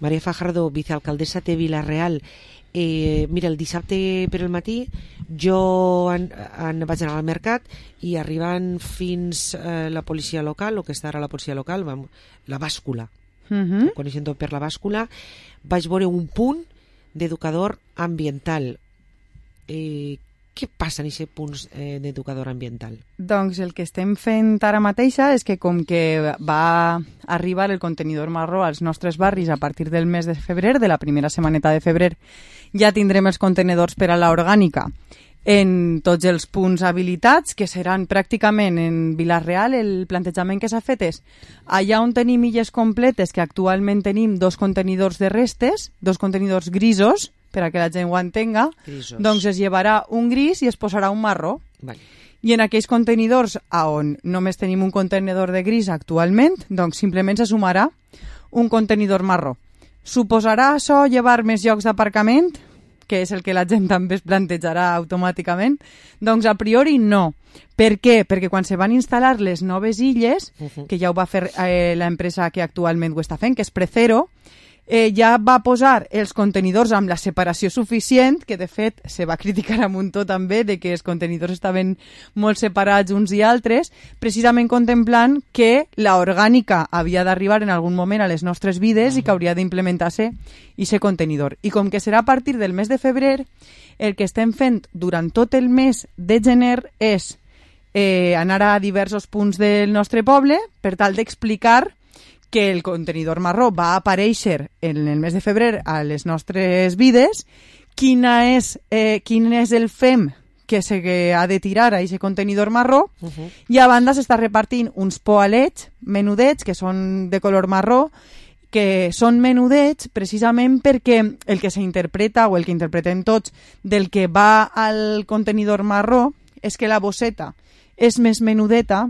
Maria Fajardo, vicealcaldessa de Vila-real. Mira, el dissabte per el matí jo vaig anar al mercat i arribant fins la policia local, el que està ara la policia local, la bàscula, coneixent per la bàscula, vaig veure un punt d'educador ambiental. Què passa en aquest punt d'educador ambiental? Doncs el que estem fent ara mateixa és que com que va arribar el contenidor marró als nostres barris a partir del mes de febrer, de la primera setmaneta de febrer, ja tindrem els contenidors per a la orgànica en tots els punts habilitats, que seran pràcticament en Vila-real. El plantejament que s'ha fet és allà on tenim illes completes, que actualment tenim 2 contenidors de restes, 2 contenidors grisos, per a que la gent ho entenga, grisos. Doncs es llevarà un gris i es posarà un marró. Vale. I en aquells contenidors on només tenim un contenidor de gris actualment, doncs simplement se sumarà un contenidor marró. Suposarà això llevar més llocs d'aparcament, que és el que la gent també es plantejarà automàticament? Doncs a priori no. Per què? Perquè quan se van instal·lar les noves illes, que ja ho va fer l'empresa que actualment ho està fent, que és Precero, ja va posar els contenidors amb la separació suficient, que de fet se va criticar a Muntó també de que els contenidors estaven molt separats uns i altres, precisament contemplant que la orgànica havia d'arribar en algun moment a les nostres vides i que hauria d'implementar-se aquest contenidor. I com que serà a partir del mes de febrer, el que estem fent durant tot el mes de gener és anar a diversos punts del nostre poble per tal d'explicar que el contenidor marró va aparèixer en el mes de febrer a les nostres vides, quin és el FEM que ha de tirar a aquest contenidor marró, i a banda s'està repartint uns poalets menudets que són de color marró, que són menudets precisament perquè el que s'interpreta o el que interpretem tots del que va al contenidor marró és que la bosseta és més menudeta,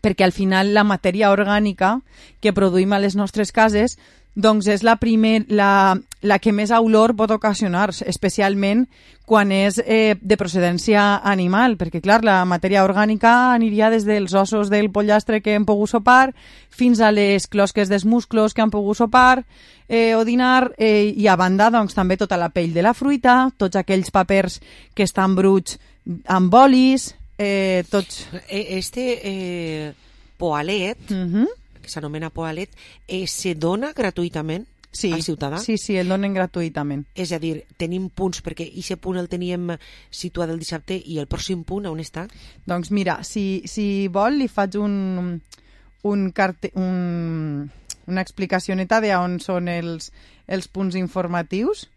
perquè al final la matèria orgànica que produïm a les nostres cases doncs és la que més olor pot ocasionar, especialment quan és de procedència animal, perquè clar, la matèria orgànica aniria des dels ossos del pollastre que hem pogut sopar fins a les closques dels musclos que han pogut sopar o dinar, i a banda doncs també tota la pell de la fruita, tots aquells papers que estan bruts amb bolis, tots... Poalet, que s'anomena Poalet, se dona gratuïtament al ciutadà? Sí, el donen gratuïtament. És a dir, tenim punts, perquè aquest punt el teníem situat el dissabte, i el pròxim punt on està? Doncs mira, si vol li faig una explicacioneta d'on són els punts informatius,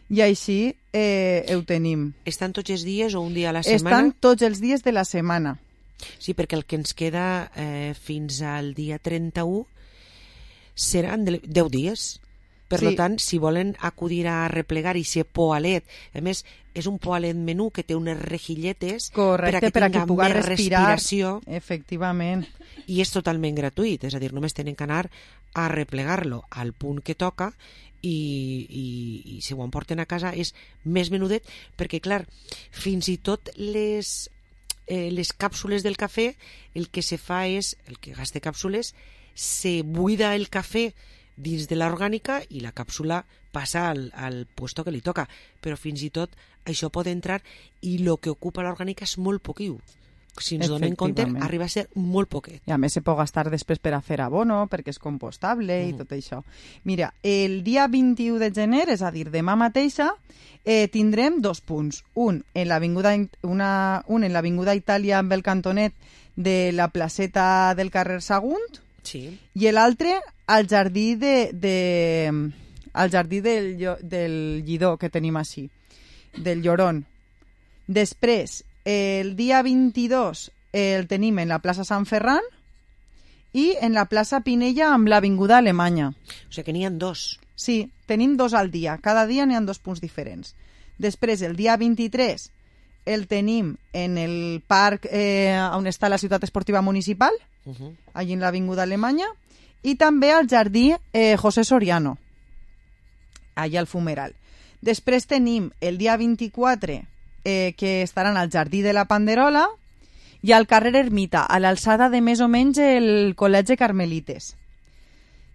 i així ho tenim. Estan tots els dies o un dia a la setmana? Estan tots els dies de la setmana. Sí, perquè el que ens queda fins al dia 31 seran 10 dies. Per tant, si volen acudir a replegar i ser poalet, a més, és un poalet menú que té unes rejilletes per a que tinga més respiració. Efectivament. I és totalment gratuït, és a dir, només tenen que anar a replegar-lo al punt que toca i si ho emporten a casa és més menudet, perquè clar, fins i tot les càpsules del cafè, el que se fa és, el que gasta càpsules, se buida el cafè dins de l'orgànica i la càpsula passa al puesto que li toca, però fins i tot això pot entrar i el que ocupa l'orgànica és molt poquiu. Si ens donem compte, arriba a ser molt poquet. I a més se pot gastar després per a fer abono, perquè és compostable i tot això. Mira, el dia 21 de gener, és a dir, demà mateixa, tindrem 2 punts. Un en l'avinguda Itàlia amb el cantonet de la placeta del carrer Sagunt, i l'altre al jardí del Lledó que tenim així, del Llorón. Després, el dia 22 el tenim en la plaça Sant Ferran i en la plaça Pinella amb l'avinguda Alemanya. O sigui que n'hi ha 2. Sí, tenim 2 al dia. Cada dia n'hi ha 2 punts diferents. Després, el dia 23 el tenim en el parc on està la ciutat esportiva municipal, allí en l'avinguda Alemanya, i també al jardí José Soriano, allà al Fumeral. Després tenim el dia 24 que estaran al jardí de la Panderola i al carrer Ermita, a l'alçada de més o menys el Col·legi Carmelites.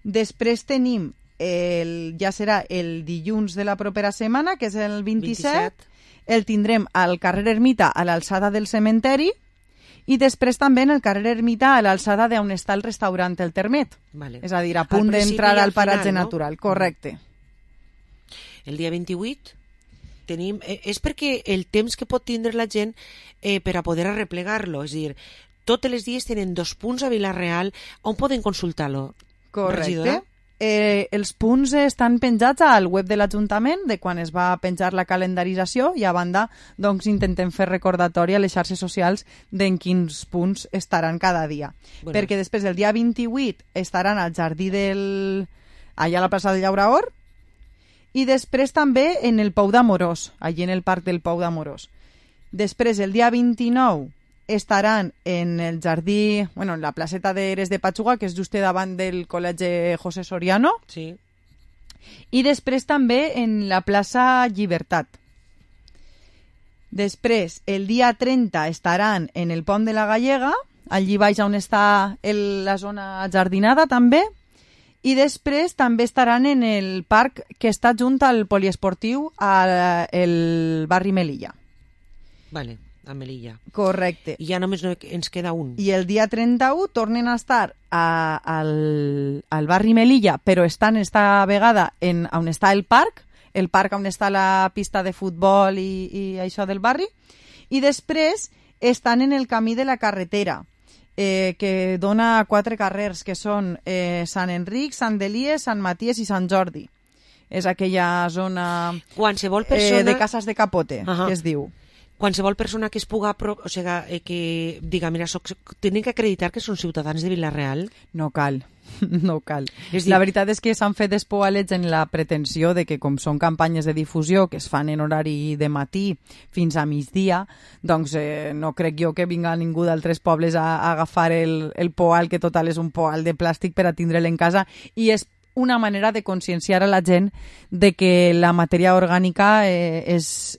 Després tenim ja serà el dilluns de la propera setmana, que és el 27. El tindrem al carrer Ermita, a l'alçada del cementeri, i després també en el carrer Ermita, a l'alçada d'on està el restaurant El Termet. Vale. És a dir, a punt d'entrar al paratge natural. Correcte. El dia 28 tenim... és perquè el temps que pot tindre la gent per a poder arreplegar-lo. És a dir, tots els dies tenen 2 punts a Vila-real on poden consultar-lo. Correcte. Regidora? Els punts estan penjats al web de l'Ajuntament de quan es va penjar la calendarització i a banda doncs intentem fer recordatori a les xarxes socials d'en quins punts estaran cada dia. Bueno. Perquè després el dia 28 estaran al jardí allà a la plaça del Llauraor i després també en el Pou d'Amorós, allí en el parc del Pou d'Amorós. Després el dia 29 estaran en el jardí, en la placeta d'Eres de Patxuga, que és just davant del col·legi José Soriano. Sí. I després també en la plaça Llibertat. Després, el dia 30 estaran en el Pont de la Gallega, allí baix on està la zona jardinada també, i després també estaran en el parc que està junt al poliesportiu al barri Melilla. Vale. A Melilla. Correcte. I ja només ens queda un. I el dia 31 tornen a estar al barri Melilla, però estan esta vegada on està el parc on està la pista de futbol i això del barri, i després estan en el camí de la carretera, que dona 4 carrers, que són Sant Enric, Sant Elies, Sant Maties i Sant Jordi. És aquella zona qualsevol persona... de Cases de Capote, que es diu. Qualsevol persona que es puga... O sigui, que diga, mira, tenen que acreditar que són ciutadans de Vila-real? No cal, no cal. La veritat és que s'han fet despoalets en la pretensió de que, com són campanyes de difusió que es fan en horari de matí fins a migdia, doncs no crec jo que vinga ningú d'altres pobles a agafar el poal, que total és un poal de plàstic, per a tindre'l en casa, i és una manera de conscienciar a la gent de que la matèria orgànica és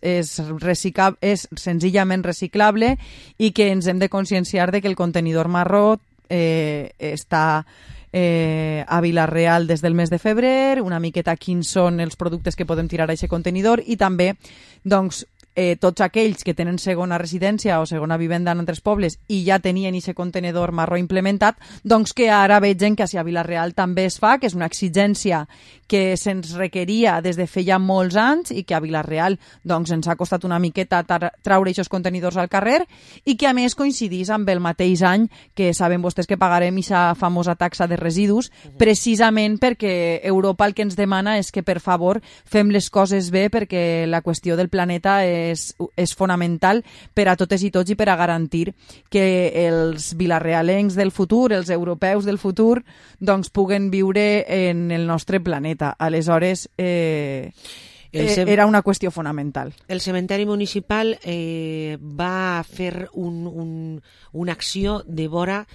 senzillament reciclable i que ens hem de conscienciar de que el contenidor marró està a Vila-real des del mes de febrer, una miqueta quins són els productes que podem tirar a aquest contenidor i també doncs, tots aquells que tenen segona residència o segona vivenda en altres pobles i ja tenien aquest contenedor marró implementat, doncs que ara vegen que a Vila-real també es fa, que és una exigència que se'ns requeria des de feia molts anys i que a Vila-real doncs, ens ha costat una miqueta traure aquests contenidors al carrer i que a més coincidís amb el mateix any que saben vostès que pagarem aquesta famosa taxa de residus, precisament perquè Europa el que ens demana és que per favor fem les coses bé, perquè la qüestió del planeta és fonamental per a totes i tots i per a garantir que els vilarealencs del futur, els europeus del futur, doncs puguen viure en el nostre planeta. Aleshores, era una qüestió fonamental. El cementeri municipal va fer una acció de vora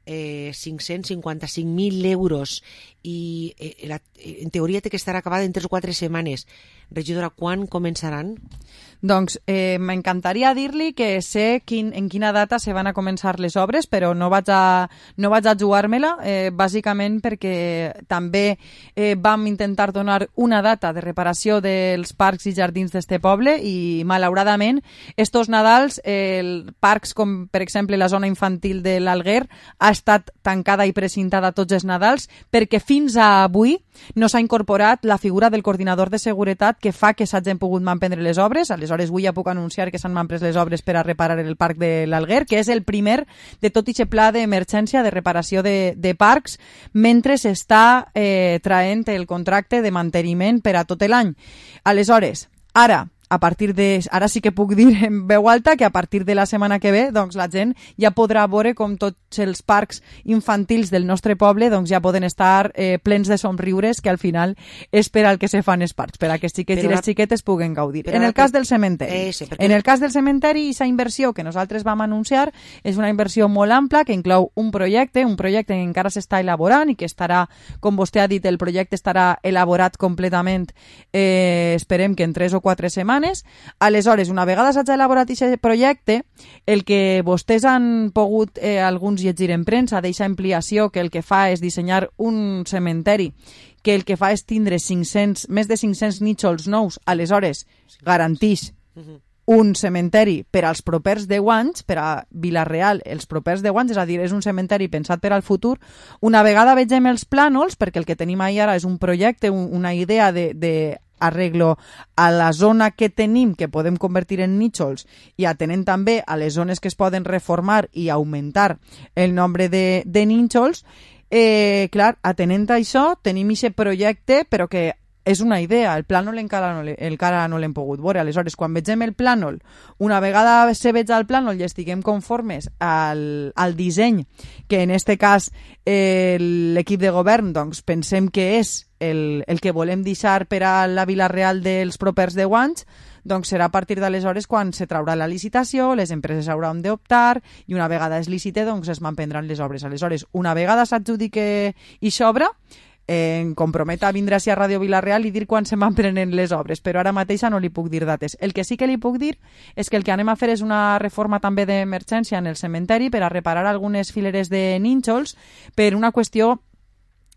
555.000 euros i en teoria té que estar acabada en 3 o 4 setmanes. Regidora, quan començaran? Doncs m'encantaria dir-li que sé en quina data se van a començar les obres, però no vaig a jugar-me-la, bàsicament perquè també vam intentar donar una data de reparació dels parcs i jardins d'este poble i, malauradament, estos Nadals, parcs com, per exemple, la zona infantil de l'Alguer ha estat tancada i precintada tots els Nadals perquè fins a avui no s'ha incorporat la figura del coordinador de seguretat que fa que s'hagin pogut manprendre les obres. Aleshores, avui ja puc anunciar que s'han manpres les obres per a reparar el parc de l'Alguer, que és el primer de tot aquest pla d'emergència de reparació de parcs, mentre s'està traient el contracte de manteniment per a tot l'any. Aleshores, ara sí que puc dir en veu alta que a partir de la setmana que ve doncs la gent ja podrà veure com tots els parcs infantils del nostre poble doncs ja poden estar plens de somriures, que al final és per al que se fan els parcs, per a que els xiquets i les xiquetes puguen gaudir. En el cas del cementeri, aquesta inversió que nosaltres vam anunciar és una inversió molt ampla que inclou un projecte que encara s'està elaborant i que estarà, com vostè ha dit, el projecte estarà elaborat completament, esperem que en 3 o 4 setmanes. Aleshores, una vegada s'hagi elaborat aquest projecte, el que vostès han pogut alguns llegir en premsa d'eixa ampliació, que el que fa és dissenyar un cementeri que el que fa és tindre més de 500 nínxols nous, aleshores garantix un cementeri per als propers 10 anys, per a Vila-real els propers 10 anys, és a dir, és un cementeri pensat per al futur. Una vegada vegem els plànols, perquè el que tenim ahir ara és un projecte, una idea de arreglo a la zona que tenim, que podem convertir en nínxols, i atenent també a les zones que es poden reformar i augmentar el nombre de nínxols, clar, atenent a això, tenim aquest projecte, però que és una idea, el plànol encara no l'hem pogut veure. Aleshores, quan vegem el plànol, una vegada se veig el plànol i estiguem conformes al disseny, que en este cas l'equip de govern doncs, pensem que és el que volem deixar per a la Vila-real dels propers 10 anys, doncs serà a partir d'aleshores quan se traurà la licitació, les empreses hauran d'optar i una vegada es licite doncs es manprendran les obres. Aleshores, una vegada s'adjudique i s'obra, em compromet a vindre a Ràdio Vila-real i dir quan se m'emprenen les obres, però ara mateixa no li puc dir dates. El que sí que li puc dir és que el que anem a fer és una reforma també d'emergència en el cementeri per a reparar algunes fileres de nínxols per una qüestió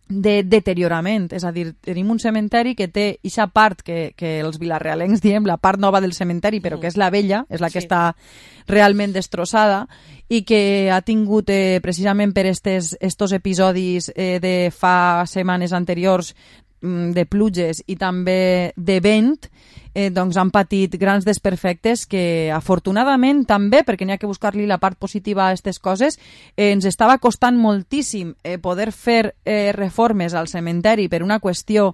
de deteriorament, és a dir, tenim un cementeri que té aquesta part que els vilarrealencs diem la part nova del cementeri, però que és la vella, és la que està realment destrossada i que ha tingut precisament per estos episodis de fa setmanes anteriors de pluges i també de vent, doncs han patit grans desperfectes que afortunadament també, perquè n'hi ha que buscar-li la part positiva a aquestes coses, ens estava costant moltíssim poder fer reformes al cementeri per una qüestió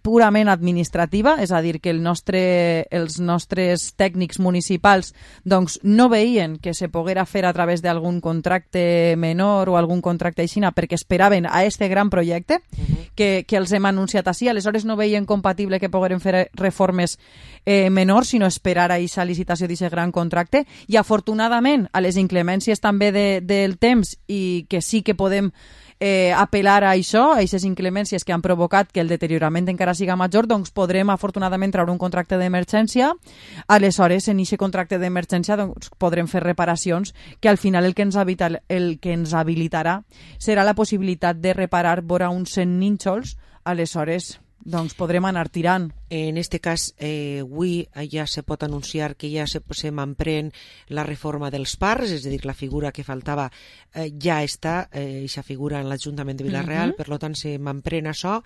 purament administrativa, és a dir, que els nostres tècnics municipals doncs, no veien que se poguera fer a través d'algun contracte menor o algun contracte aixina perquè esperaven a este gran projecte que els hem anunciat així, aleshores no veien compatible que pogueren fer reformes menors, sinó esperar a aquesta licitació d'aquest gran contracte, i afortunadament a les inclemències també del temps i que sí que podem apel·lar a això, a aquestes inclemències que han provocat que el deteriorament encara siga major, doncs podrem afortunadament treure un contracte d'emergència. Aleshores, en aquest contracte d'emergència doncs, podrem fer reparacions que al final el que ens habilitarà serà la possibilitat de reparar vora uns 100 nínxols. Aleshores, doncs podrem anar tirant. En este cas, avui ja se pot anunciar que ja se m'emprèn la reforma dels parcs, és a dir, la figura que faltava ja està, aquesta figura en l'Ajuntament de Vila-real, per tant se m'emprèn això.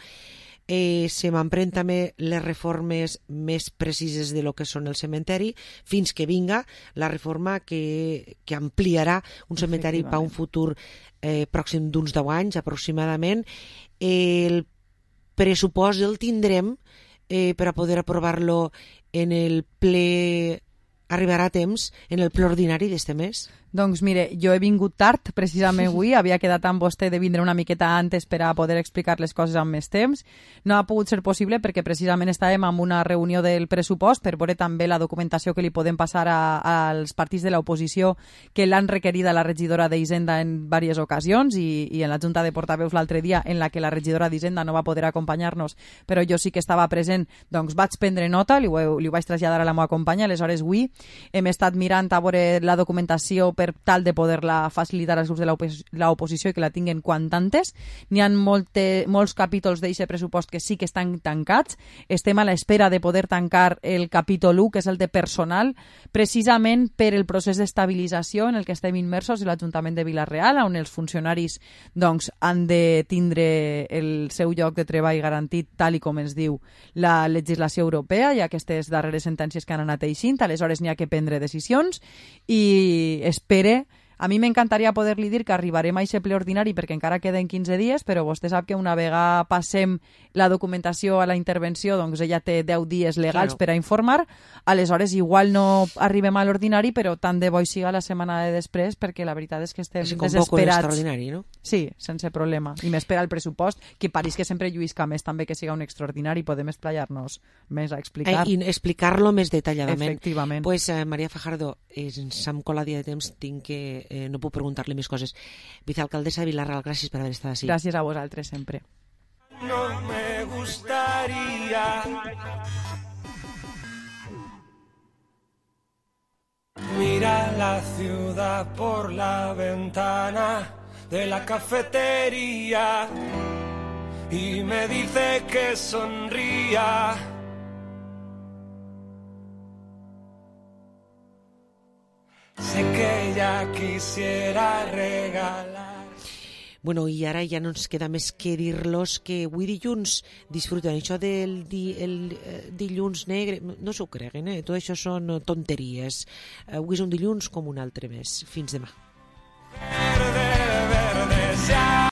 Se m'emprèn també les reformes més precises de lo que són el cementeri, fins que vinga la reforma que ampliarà un cementeri per un futur pròxim d'uns 10 anys aproximadament. El pressupost el tindrem per a poder aprovar-lo en el ple, arribarà a temps, en el ple ordinari d'este mes? Doncs mire, jo he vingut tard, precisament avui, havia quedat amb vostè de vindre una miqueta antes per a poder explicar les coses amb més temps. No ha pogut ser possible perquè precisament estàvem en una reunió del pressupost per veure també la documentació que li podem passar als partits de l'oposició que l'han requerida la regidora d'Hisenda en diverses ocasions i en la Junta de Portaveus l'altre dia, en la que la regidora d'Hisenda no va poder acompanyar-nos, però jo sí que estava present, doncs vaig prendre nota, li ho vaig traslladar a la meva companya. Aleshores avui hem estat mirant a veure la documentació per tal de poder-la facilitar als grups de l'oposició i que la tinguen quan antes. N'hi ha molts capítols d'aquest pressupost que sí que estan tancats. Estem a l'espera de poder tancar el capítol 1, que és el de personal, precisament per el procés d'estabilització en el que estem immersos a l'Ajuntament de Vila-real, on els funcionaris doncs, han de tindre el seu lloc de treball garantit tal i com ens diu la legislació europea i aquestes darreres sentències que han anat eixint. Aleshores n'hi ha que prendre decisions i espere. A mi m'encantaria poder-li dir que arribarem a aquest ple ordinari perquè encara queden 15 dies, però vostè sap que una vegada passem la documentació a la intervenció, doncs ella té 10 dies legals per a informar. Aleshores, igual no arribem a l'ordinari, però tant de bo siga la setmana de després, perquè la veritat és que estem desesperats. Extraordinari, no? Sí, sense problema. I més per al pressupost, que pareix que sempre lluïsca més també que siga un extraordinari, podem esplayar-nos més a explicar. I explicar-lo més detalladament. Efectivament. Pues, Maria Fajardo, s'ha colat dia de temps, tinc que no puc preguntar-li més coses. Vicealcaldessa de Vila-real, gràcies per haver estat així. Gràcies a vosaltres sempre. No me gustaría mirar la ciudad por la ventana de la cafetería y me dice que sonría. Sé que ella quisiera regalar. Bueno, i ara ja no ens queda més que dir-los que avui dilluns disfruten això del dilluns negre. No s'ho creguen, tot això són tonteries. Avui és un dilluns com un altre més. Fins demà. Verde, verde,